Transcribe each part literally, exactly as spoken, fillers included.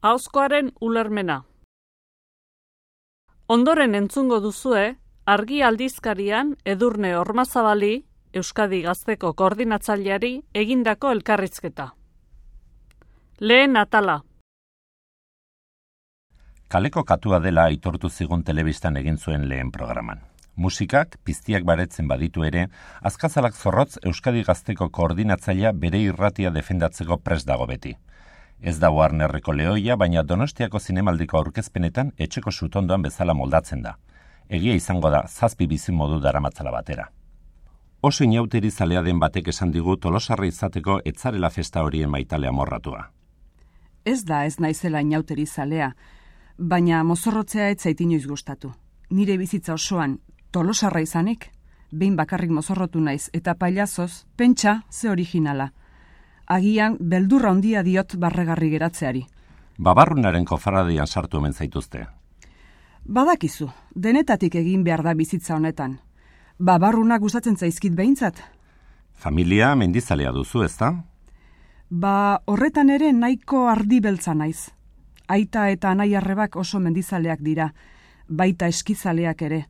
Ahozkoaren ulermena. Ondoren entzungo duzue, Argi aldizkarian Edurne Ormazabali, Euskadi Gazteko koordinatzaileari egindako elkarrizketa. Lehen atala. Kaleko katua dela aitortu zigun telebistan egin zuen lehen programan. Musikak, piztiak baretzen baditu ere, azkazalak zorrotz Euskadi Gazteko koordinatzailea bere irratia defendatzeko prest dago beti. Ez da Warnerreko lehoia, baina Donostiako zinemaldiko aurkezpenetan etxeko sutondoan bezala moldatzen da. Egia izango da, zazpi bizimodu daramatzala batera. Oso inauteri zalea den batek esan digu Tolosarra izateko etzarela festa horien maitale amorratua. Ez da ez naizela inauteri zalea, baina mozorrotzea ez zait inoiz gustatu. Nire bizitza osoan Tolosarra izanik, behin bakarrik mozorrotu naiz eta pailazoz, pentsa ze originala. Agian beldurra handia diot barregarri geratzeari. Babarrunaren kofarradian sartu hemen zaituzte. Badakizu, denetatik egin behar da bizitza honetan. Babarruna gustatzen zaizkit behintzat. Familia mendizalea duzu, ezta? Ba, horretan ere nahiko ardi beltza naiz. Aita eta anai arrebak oso mendizaleak dira, baita eskizaleak ere.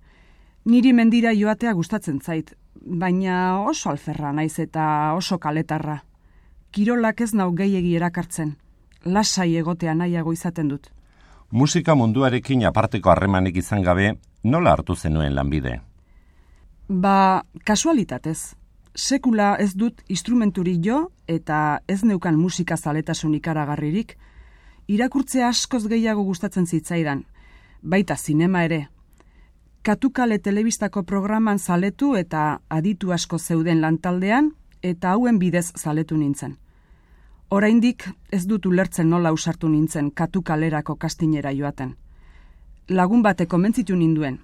Niri mendira joatea gustatzen zait, baina oso alferra naiz eta oso kaletarra. Kirolak ez nau gehiegi erakartzen. Lasai egotea nahiago izaten dut. Musika munduarekin aparteko harremanik izan gabe, nola hartu zenuen lanbide? Ba, kasualitatez. Sekula ez dut instrumenturik jo eta ez neukan musika zaletasun ikaragarririk. Irakurtzea askoz gehiago gustatzen zitzaidan, baita zinema ere. Katukale telebistako programan zaletu eta aditu asko zeuden lantaldean, eta hauen bidez zaletu nintzen. Oraindik ez dut ulertzen nola usartu nintzen Katukalerako kastinera joaten. Lagun batek komentzitu ninduen.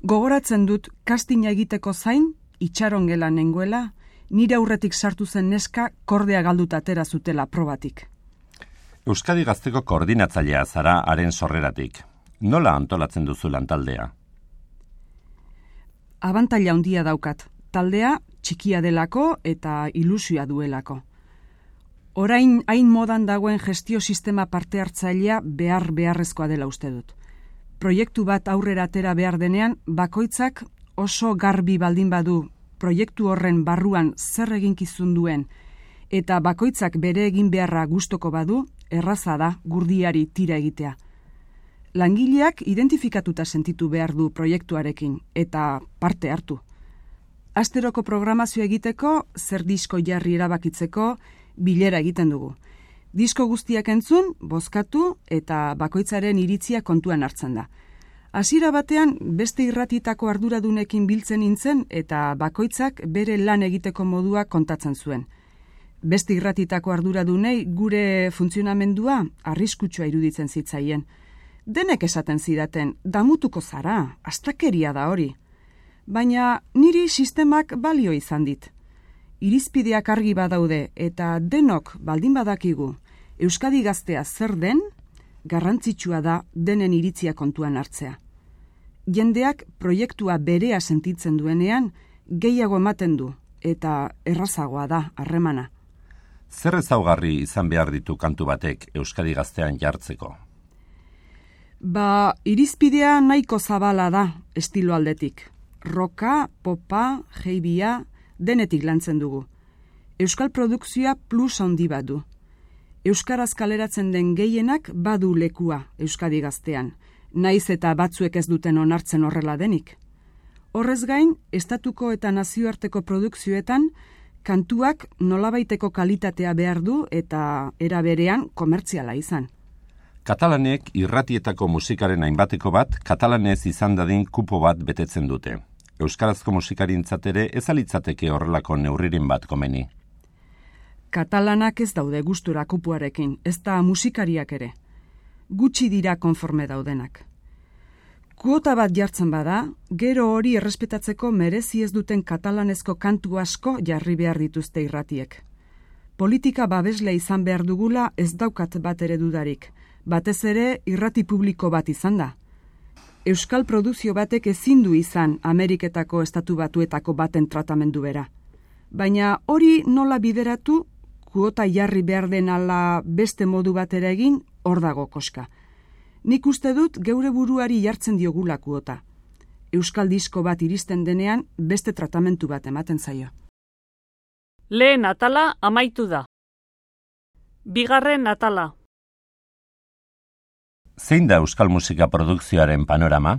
Gogoratzen dut kastina egiteko zain, itxarongela nengoela, nire aurretik sartu zen neska kordea galduta atera zutela probatik. Euskadi Gazteko koordinatzailea zara haren sorreratik. Nola antolatzen duzu lantaldea? Abantaila handia daukat. Taldea txikia delako eta ilusioa duelako. Orain hain modan dagoen gestio sistema parte hartzailea behar beharrezkoa dela uste dut. Proiektu bat aurrera atera behar denean, bakoitzak oso garbi baldin badu proiektu horren barruan zer eginkizun duen eta bakoitzak bere egin beharra gustoko badu, erraza da gurdiari tira egitea. Langileak identifikatuta sentitu behar du proiektuarekin eta parte hartu. Asteroko programazio egiteko, zer disko jarri erabakitzeko, bilera egiten dugu. Disko guztiak entzun, bozkatu eta bakoitzaren iritzia kontuan hartzen da. Hasiera batean beste irratitako arduradunekin biltzen nintzen eta bakoitzak bere lan egiteko modua kontatzen zuen. Beste irratitako arduradunei gure funtzionamendua arriskutsua iruditzen zitzaien. Denek esaten zidaten, damutuko zara, astakeria da hori. Baina niri sistemak balio izan dit. Irizpideak argi badaude eta denok baldin badakigu Euskadi Gaztea zer den, garrantzitsua da denen iritzia kontuan hartzea. Jendeak proiektua berea sentitzen duenean gehiago ematen du eta errazagoa da harremana. Zer ezaugarri izan behar ditu kantu batek Euskadi Gaztean jartzeko? Ba, irizpidea nahiko zabala da estilo aldetik. Roka, popa, heibia, denetik lantzen dugu. Euskal produkzioa plus handi bat du. Euskaraz kaleratzen den gehienak badu lekua Euskadi Gaztean, naiz eta batzuek ez duten onartzen horrela denik. Horrez gain, estatuko eta nazioarteko produkzioetan, kantuak nolabaiteko kalitatea behar du eta era berean komertziala izan. Katalanek irratietako musikaren hainbateko bat, katalanez izan dadin kupo bat betetzen dute. Euskarazko musikarintzat ere ez alitzateke horrelako neurriren bat komeni. Katalanak ez daude gustura kupuarekin, ez da musikariak ere. Gutxi dira konforme daudenak. Kuota bat jartzen bada, gero hori errespetatzeko merezi ez duten katalanezko kantu asko jarri behar dituzte irratiek. Politika babesle izan behar dugula ez daukat bat ere dudarik, batez ere irrati publiko bat izan da. Euskal produzio batek ezin du izan Ameriketako estatu batuetako baten tratamendu bera. Baina hori nola bideratu, kuota jarri behar den ala beste modu batera egin, hor dago koska. Nik uste dut geure buruari jartzen diogula kuota. Euskal disko bat iristen denean beste tratamentu bat ematen zaio. Lehen atala amaitu da. Bigarren atala. Zein da euskal musika produkzioaren panorama?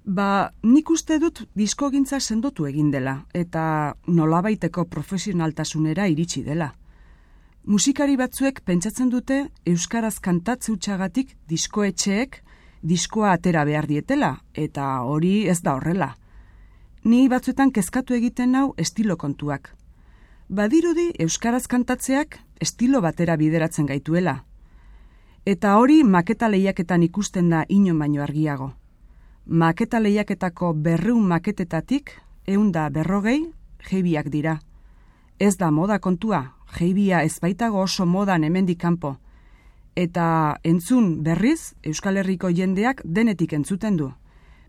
Ba, nik uste dut diskogintza sendotu egin dela, eta nolabaiteko profesionaltasunera iritsi dela. Musikari batzuek pentsatzen dute euskaraz kantatze hutsagatik diskoetxeek diskoa atera behar dietela, eta hori ez da horrela. Ni batzuetan kezkatu egiten nau estilo kontuak. Badirudi euskaraz kantatzeak estilo batera bideratzen gaituela. Eta hori maketa lehiaketan ikusten da inon baino argiago. Maketa lehiaketako berreun maketetatik, ehun da berrogei, jeibiak dira. Ez da moda kontua, jeibia ez baitago oso modan hemendik kanpo. Eta entzun berriz, Euskal Herriko jendeak denetik entzuten du.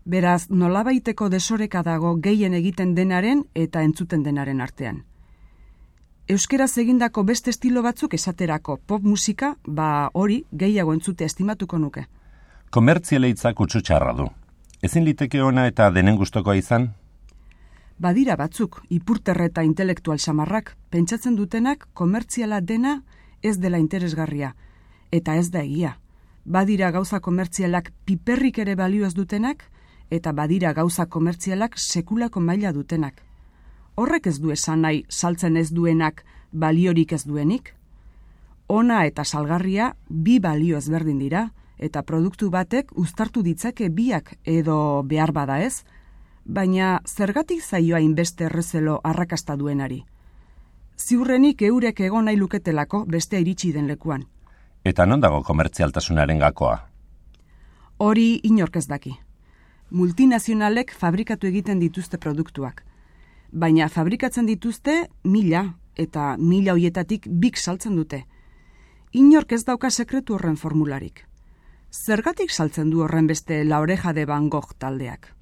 Beraz, nolabaiteko desoreka dago gehien egiten denaren eta entzuten denaren artean. Euskeraz egindako beste estilo batzuk esaterako pop musika, ba hori gehiago entzute estimatuko nuke. Komertzialeitzak kutsu txarra du. Ezin liteke ona eta denen gustokoa izan? Badira batzuk, ipurterre eta intelektual samarrak, pentsatzen dutenak komertziala dena ez dela interesgarria, eta ez da egia. Badira gauza komertzialak piperrik ere balio ez dutenak, eta badira gauza komertzialak sekulako maila dutenak. Horrek ez du esan nahi saltzen ez duenak baliorik ez duenik? Ona eta salgarria bi balio ezberdin dira, eta produktu batek uztartu ditzake biak edo behar bada ez, baina zergatik zaioa inbeste errezelo arrakasta duenari. Ziurrenik eurek egon nahi luketelako beste iritsi den lekuan. Eta non dago komertzialtasunaren gakoa? Hori inork ez daki. Multinazionalek fabrikatu egiten dituzte produktuak. Baina fabrikatzen dituzte mila, eta mila hoietatik bik saltzen dute. Inork ez dauka sekretu horren formularik. Zergatik saltzen du horren beste La Oreja de Van Gogh taldeak?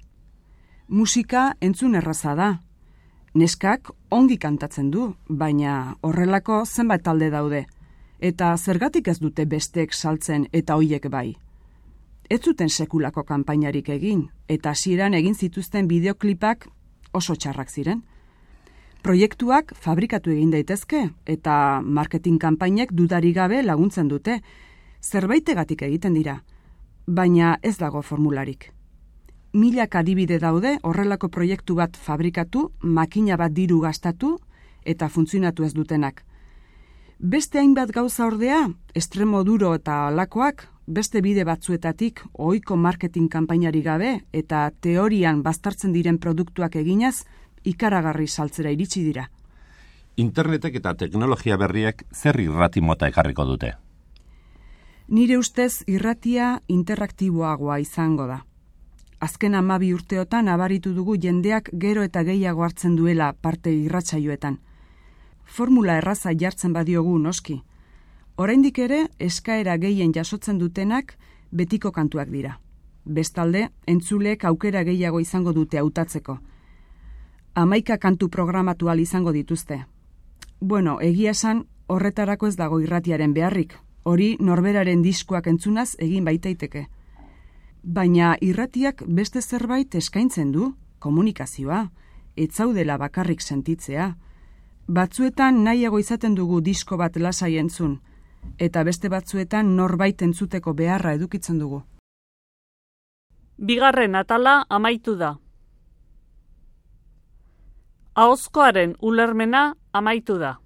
Musika entzun erraza da. Neskak ongi kantatzen du, baina horrelako zenbait talde daude. Eta zergatik ez dute besteek saltzen eta hoiek bai. Ez zuten sekulako kanpainarik egin, eta hasieran egin zituzten bideoklipak oso txarrak ziren. Proiektuak fabrikatu egin daitezke, eta marketing kanpainek dudarik gabe laguntzen dute. Zerbaitegatik egiten dira, baina ez dago formularik. Milak adibide daude horrelako proiektu bat fabrikatu, makina bat diru gastatu eta funtzionatu ez dutenak. Beste hainbat gauza ordea, estremo duro eta alakoak, beste bide batzuetatik ohiko marketing kanpainari gabe eta teorian baztertzen diren produktuak eginaz, ikaragarri saltzera iritsi dira. Internetek eta teknologia berriek zer irrati mota ekarriko dute? Nire ustez irratia interaktiboagoa izango da. Azken hamabi urteotan nabaritu dugu jendeak gero eta gehiago hartzen duela parte irratsaioetan. Formula erraza jartzen badiogu noski. Oraindik ere eskaera gehien jasotzen dutenak betiko kantuak dira. Bestalde, entzuleek aukera gehiago izango dute hautatzeko. Hamaika kantu programatu ahal izango dituzte. Bueno, egia esan horretarako ez dago irratiaren beharrik. Hori norberaren diskoak entzunaz egin baitaiteke. Baina irratiak beste zerbait eskaintzen du, komunikazioa, ez zaudela bakarrik sentitzea. Batzuetan nahiago izaten dugu disko bat lasai entzun, eta beste batzuetan norbait entzuteko beharra edukitzen dugu. Bigarren atala amaitu da. Ahozkoaren ulermena amaitu da.